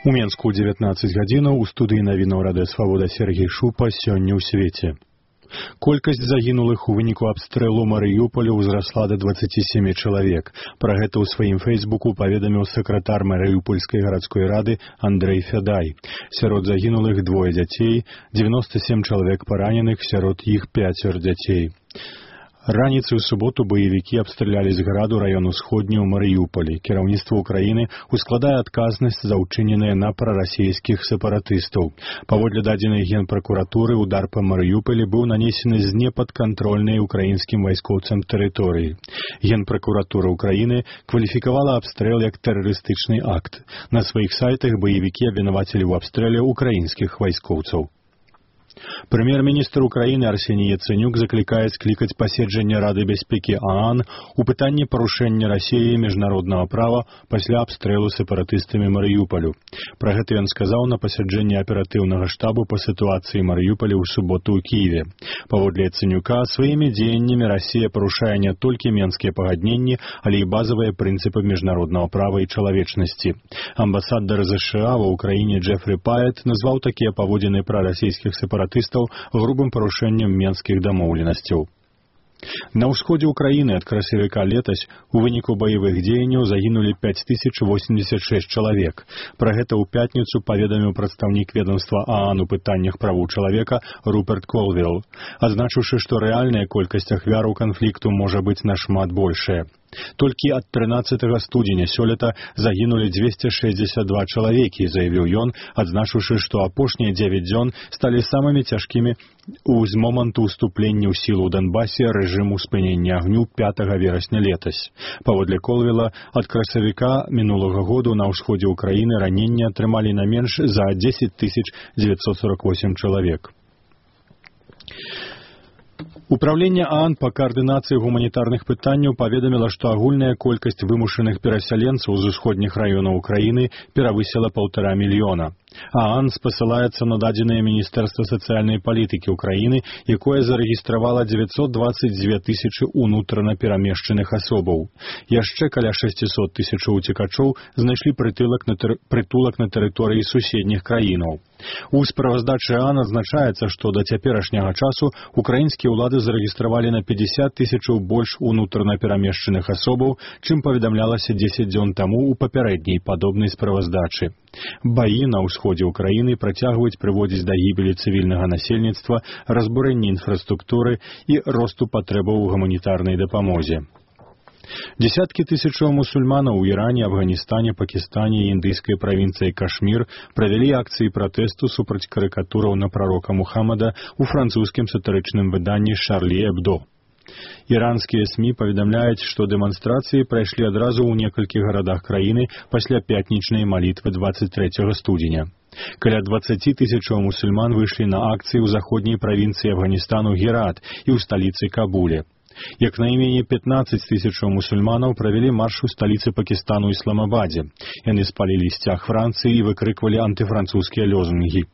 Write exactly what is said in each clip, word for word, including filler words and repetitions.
У Менску дзевятнаццаць гадзінаў у студыі навінаў Радыё Свабода Сергей Шупа сёння ў свеце. Колькасць загінулых у выніку абстрэлу Марыюполя ўзрасла да дваццаці сямі чалавек. Пра гэта ў сваім фэйсбуку паведаміў сакратар Марыюпольскай гарадской рады Андрэй Фядай. Сярод загінулых двое дзяцей, дзевяноста сем чалавек параненых, сярод іх пяцер дзяцей. Раніцай у суботу баевікі абстралялі з граду раён усходні ў Марыюполі. Кіраўніцтва ўкраіны ускладае адказнасць за ўчыненыя на прарасійскіх сепаратыстаў. Паводле дадзенай генпракуратуры, удар па Марыюполі быў нанесены з непадкантрольнай украінскім вайскоўцам тэрыторыі. Генпракуратура ўкраіны кваліфікавала абстрэл як тэрарыстычны акт. На сваіх сайтах баевікі абвінавацілі ў абстрэле украінскіх вайскоўцаў. Прэм'ер-міністр Украіны Арсеній Яцэнюк заклікае склікаць паседжанне Рады бяспекі ААН у пытанні парушэння Расіяй міжнароднага права пасля абстрэлу сепаратыстамі Марыюполю. Пра гэта ён сказаў на пасяджэнні аператыўнага штабу па сітуацыі Марыюполя ў суботу ў Кіеве. Паводле Яцэнюка, сваімі дзеяннямі Расія парушае не толькі менскія пагадненні, але і базавыя прынцыпы міжнароднага права і чалавечнасці. Амбасадар ЗША ва ўкраіне Джефрі Паэт назваў такія паводзіны прарасійскіх сепаратыстаў грубым парушэннем менскіх дамоўленасцяў. На ўсходзе ўкраіны ад красавіка летась у выніку баявых дзеянняў загінулі пяць тысяч восемьдесят шесть чалавек. Пра гэта ў пятніцу паведаміў прадстаўнік ведомства ААН у пытаннях правоў чалавека Руперт Колвилл, адзначыўшы, што рэальная колькасць ахвяраў канфлікту можа быць нашмат большая. Толькі ад трынаццатага студзеня сёлета загінулі дзвесце шэсцьдзесят два чалавекі, заявіў ён, адзначыўшы, што апошнія дзевяць дзён сталі самымі цяжкімі з моманту ўступлення ў сілу ў Донбасе рэжыму спынення агню пятага верасня летась. Паводле Колвилла, ад красавіка мінулага году на ўсходзе ўкраіны раненні атрымалі на менш за дзесяць тысяч дзевяцьсот сорок восемь чалавек. Управленне ААН па каардынацыі гуманітарных пытанняў паведаміла, што агульная колькасць вымушаных перасяленцаў з усходніх раёнаў Украіны перавысіла паўтара мільёна. ААН спасылаецца на дадзеныя Міністэрства сацыяльнай палітыкі ўкраіны, якое зарэгістравала дзевяцьсот дваццаць дзве тысячы ўнутрана перамешчаных асобаў. Яшчэ каля шэсцьсот тысячаў уцекачоў знайшлі прытулак на, тыр... прытулак на тэрыторыі суседніх краінаў. У справаздачы ААН адзначаецца, што да цяперашняга часу украінскія ўлады зарэгістравалі на пятьдесят тысячаў больш унутрана перамешчаных асобаў, чым паведамлялася дзесяць дзён таму ў папярэдняй падобнай справаздачы. Баі на ўсходзе ўкраіны працягваюць прыводзіць да гібелі цывільнага насельніцтва, разбурэння інфраструктуры і росту патрэбаў у гуманітарнай дапамозе. Десяткі тысячаў мусульманаў у Іране, Афганістане, Пакістане і індыйскай правінцыі Кашмір правялі акцыі пратэсту супраць карыкатураў на прарока Мухаммада ў французскім сатырычным выданні «Шарлі Эбдо». Іранскія СМІ паведамляюць, што дэманстрацыі прайшлі адразу ў некалькіх гарадах краіны пасля пятнічнай малітвы дваццаць трэцяга студзеня. Каля дваццаці тысячаў мусульман выйшлі на акцыі ў заходняй правінцыі Афганістану Герат і ў сталіцы Кабуле. Як найменей пятнаццаць тысячаў мусульманаў правялі марш у сталіцы Пакістану Ісламабадзе. Яны спалілі сцяг Францыі і выкрыквалі антыфранцузскія лозунгі.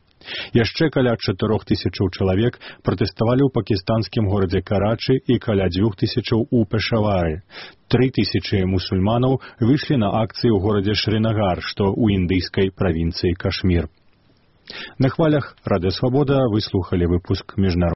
Яшчэ каля чатырох тысячаў чалавек пратэставалі ў пакістанскім горадзе Карачы і каля дзвюх тысячаў у Пешавары. Тры тысячы мусульманаў выйшлі на акцыі ў горадзе Шринагар, што ў індыйскай правінцыі Кашмір. На хвалях Радыё Свабода вы слухалі выпуск міжнароднага